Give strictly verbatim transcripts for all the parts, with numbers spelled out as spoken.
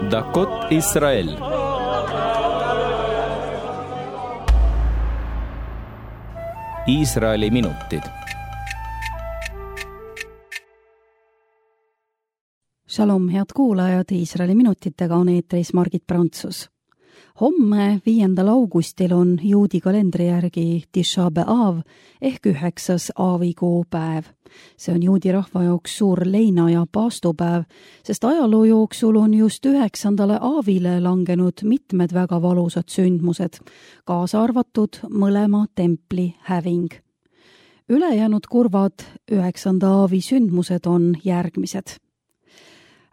דקות ישראל. Iisraeli minutid. Shalom, head kuulajad, Iisraeli minutitega on eetris Margit Prantsus. Homme, viiendal augustil on juudi kalendri järgi Tisha B'Av ehk üheksas aavikuu päev. See on juudi rahva jaoks suur leina- ja paastupäev, sest ajaloo jooksul on just üheksandale aavile langenud mitmed väga valusad sündmused, kaasa arvatud mõlema templi häving. Ülejäänud kurvad üheksanda aavi sündmused on järgmised.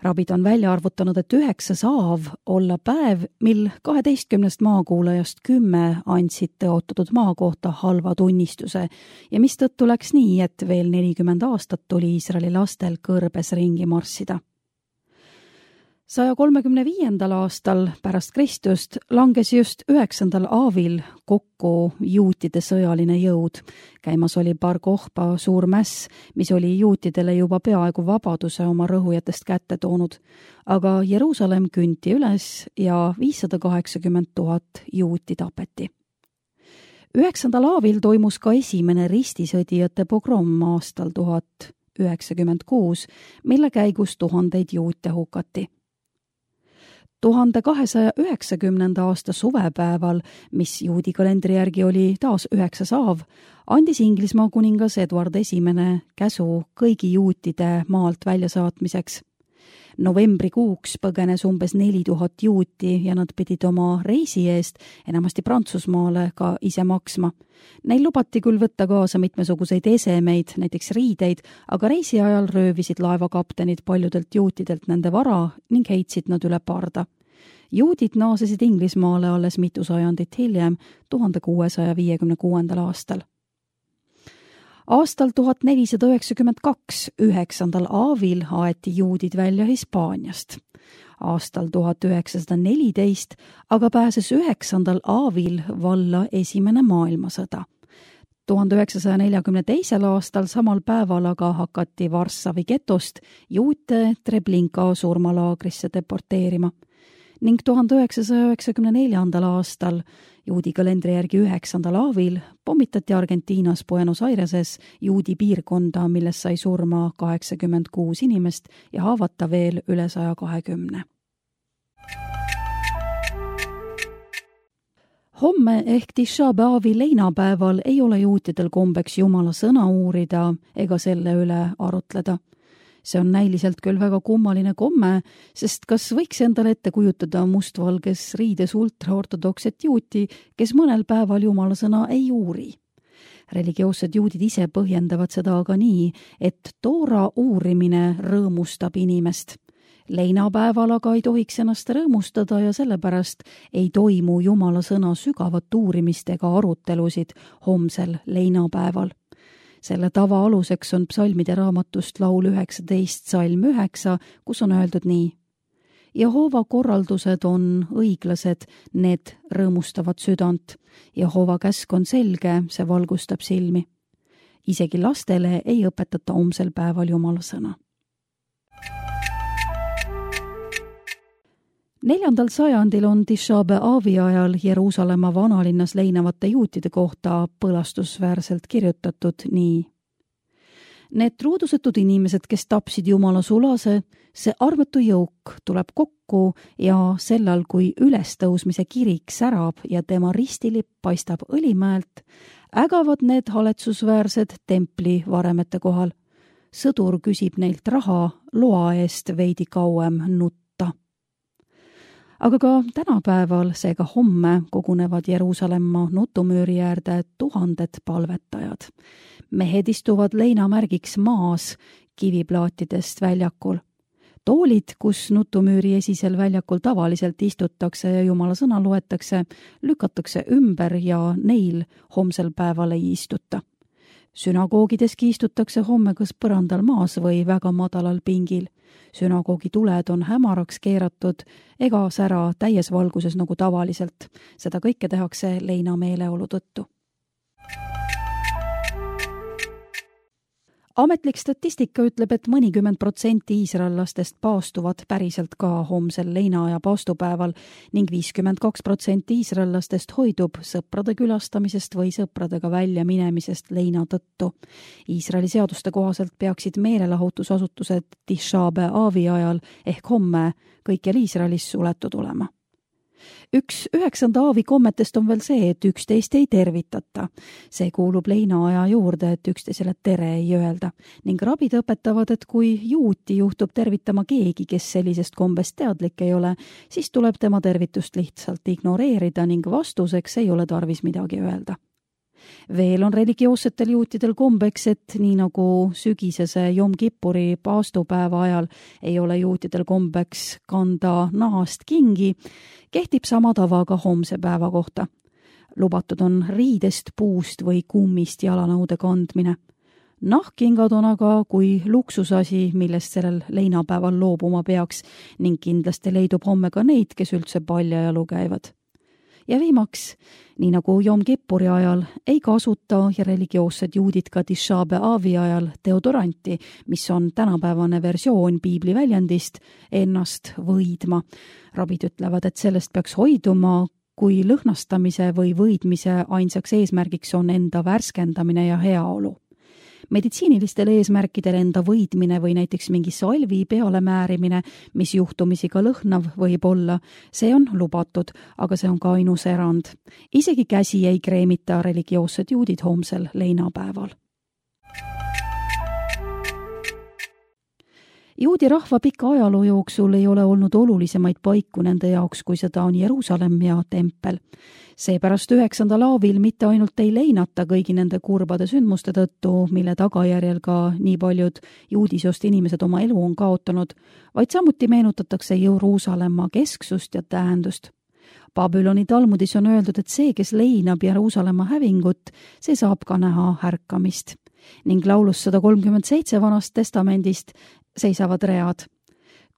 Rabid on välja arvutanud, et üheksas aav olla päev, mil kaheteistkümnest maakuulajast kümme andsid tõotatud maa kohta halva tunnistuse ja mistõttu läks nii, et veel nelikümmend aastat tuli Iisraeli lastel kõrbes ringi marssida. saja kolmekümne viiendal aastal pärast Kristust langes just üheksandal aavil kokku juutide sõjaline jõud. Käimas oli Bar Kokhba suur mäss, mis oli juutidele juba peaaegu vabaduse oma rõhujatest kätte toonud, aga Jeruusalemm künti üles ja viissada kaheksakümmend tuhat juuti tapeti. Üheksandal aavil toimus ka esimene ristisõdijate pogrom aastal tuhat üheksakümmend kuus, mille käigus tuhandeid juute hukati. tuhande kahesaja üheksakümnenda aasta suvepäeval, mis juudi kalendri järgi oli taas üheksas aav, andis Inglismaa kuningas Eduard Esimene käsu kõigi juutide maalt väljasaatmiseks. Novembrikuuks põgenes umbes neli tuhat juuti ja nad pidid oma reisi eest enamasti Prantsusmaale ka ise maksma. Neil lubati küll võtta kaasa mitmesuguseid esemeid, näiteks riideid, aga reisi ajal röövisid laevakaptenid paljudelt juutidelt nende vara ning heitsid nad üle parda. Juudid naasesid Inglismaale alles mitu sajandit hiljem, tuhande kuuesaja viiekümne kuuendal aastal. Aastal tuhat nelisada üheksakümmend kaks, üheksandal aavil aeti juudid välja Hispaaniast. Aastal tuhat üheksasada neliteist aga pääses üheksandal aavil valla esimene maailmasõda. tuhande üheksasaja neljakümne teisel aastal samal päeval aga hakati Varssavi getost juute Treblinka surmalaagrisse deporteerima ning tuhande üheksasaja üheksakümne neljandal aastal juudi kalendri järgi üheksandal aavil pommitati Argentiinas Buenos Aireses juudi piirkonda, milles sai surma kaheksakümmend kuus inimest ja haavata veel üle saja kahekümne. Homme ehk Tisha B'Avi leinapäeval ei ole juutidel kombeks Jumala sõna uurida ega selle üle arutleda. See on näiliselt küll väga kummaline komme, sest kas võiks endale ette kujutada mustvalges riides ultraortodokset juuti, kes mõnel päeval Jumala sõna ei uuri? Religioossed juudid ise põhjendavad seda aga nii, et toora uurimine rõõmustab inimest. Leinapäeval aga ei tohiks ennast rõõmustada ja sellepärast ei toimu Jumala sõna sügavat uurimist ega arutelusid homsel leinapäeval. Selle tava aluseks on psalmide raamatust laul üheksateist salm üheksa, kus on öeldud nii. Jehova korraldused on õiglased, need rõõmustavad südant. Jehova käsk on selge, see valgustab silmi. Isegi lastele ei õpetata homsel päeval Jumala sõna. Neljandal sajandil on Tisha B'Avi ajal Jeruusalemma vanalinnas leinavate juutide kohta põlastusväärselt kirjutatud nii. Need truudusetud inimesed, kes tapsid Jumala sulase, see arvetu jõuk tuleb kokku ja sellal, kui ülestõusmise kirik särab ja tema ristilipp paistab õlimäelt, ägavad need haletsusväärsed templi varemete kohal. Sõdur küsib neilt raha loa eest veidi kauem nutta. Aga ka tänapäeval, seega homme, kogunevad Jeruusalemma nutumüüri äärde tuhanded palvetajad. Mehed istuvad leinamärgiks maas kiviplaatidest väljakul. Toolid, kus nutumüüri esisel väljakul tavaliselt istutakse ja Jumala sõna loetakse, lükatakse ümber ja neil homsel päeval ei istuta. Sünagoogideski istutakse homme kas põrandal maas või väga madalal pingil. Sünagoogi tuled on hämaraks keeratud ega sära täies valguses nagu tavaliselt. Seda kõike tehakse leina meeleolu tõttu. Ametlik statistika ütleb, et mõnikümmend protsenti iisraellastest paastuvad päriselt ka homsel leinaaja paastupäeval ning viiskümmend kaks protsenti iisraellastest hoidub sõprade külastamisest või sõpradega välja minemisest leina tõttu. Iisraeli seaduste kohaselt peaksid meelelahutusasutused Tisha B'Avi ajal ehk homme kõikjal Iisraelis suletud olema. Üks üheksanda aavi kommetest on veel see, et üksteist ei tervitata. See kuulub leinaaja juurde, et üksteisele tere ei öelda. Ning rabid õpetavad, et kui juuti juhtub tervitama keegi, kes sellisest kombest teadlik ei ole, siis tuleb tema tervitust lihtsalt ignoreerida ning vastuseks ei ole tarvis midagi öelda. Veel on religioossetel juutidel kombeks, et nii nagu sügisese Jom Kippuri paastupäeva ajal ei ole juutidel kombeks kanda nahast kingi, kehtib sama tava ka homse päeva kohta. Lubatud on riidest, puust või kummist jalanõude kandmine. Nahkkingad on aga kui luksusasi, millest sellel leinapäeval loobuma peaks ning kindlasti leidub homme ka neid, kes üldse paljajalu käivad. Ja viimaks, nii nagu Jom Kippuri ajal, ei kasuta ja religioossed juudid ka Tisha B'Avi ajal deodoranti, mis on tänapäevane versioon piibli väljendist ennast võidma. Rabid ütlevad, et sellest peaks hoiduma, kui lõhnastamise või võidmise ainsaks eesmärgiks on enda värskendamine ja heaolu. Meditsiinilistel eesmärkidel enda võidmine või näiteks mingi salvi peale määrimine, mis juhtumisi ka lõhnav võib olla, see on lubatud, aga see on ka ainus erand. Isegi käsi ei kreemita religioossed juudid homsel leinapäeval. Juudi rahva pika ajaloo jooksul ei ole olnud olulisemaid paiku nende jaoks, kui seda on Jeruusalemm ja tempel. Seepärast üheksandal aavil mitte ainult ei leinata kõigi nende kurbade sündmuste tõttu, mille tagajärjel ka nii paljud juudisoost inimesed oma elu on kaotanud, vaid samuti meenutatakse Jeruusalemma kesksust ja tähendust. Babyloni talmudis on öeldud, et see, kes leinab Jeruusalemma hävingut, see saab ka näha ärkamist. Ning laulus sada kolmkümmend seitse vanast testamendist seisavad read.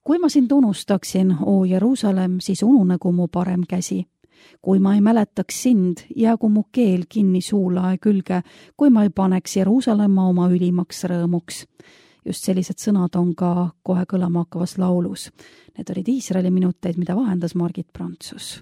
Kui ma sind unustaksin, o Jeruusalemm, siis ununegu mu parem käsi. Kui ma ei mäletaks sind, jäägu mu keel kinni suulae külge, kui ma ei paneks Jeruusalemma oma ülimaks rõõmuks. Just sellised sõnad on ka kohe kõlama hakkavas laulus. Need olid Iisraeli minuteid, mida vahendas Margit Prantsus.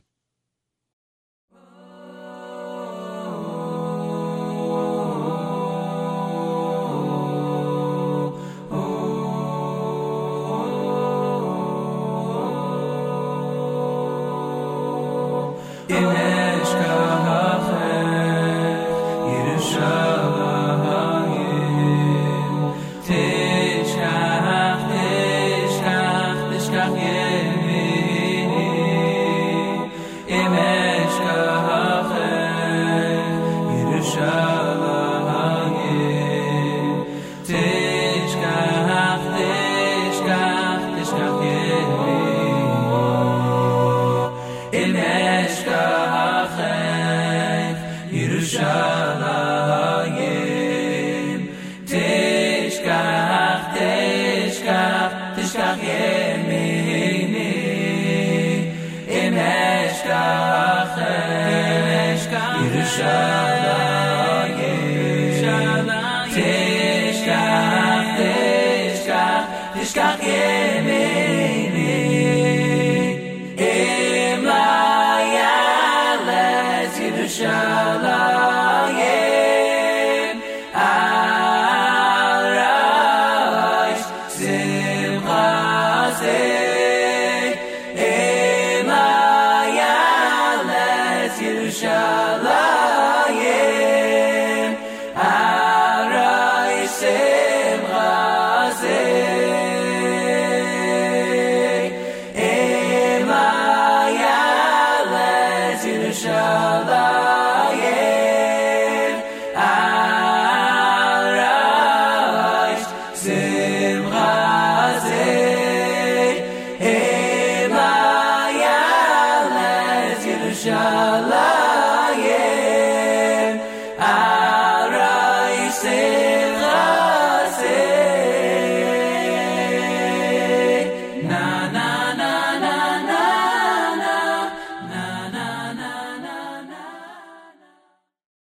Tishkach, tishkach, tishkach, tishkach,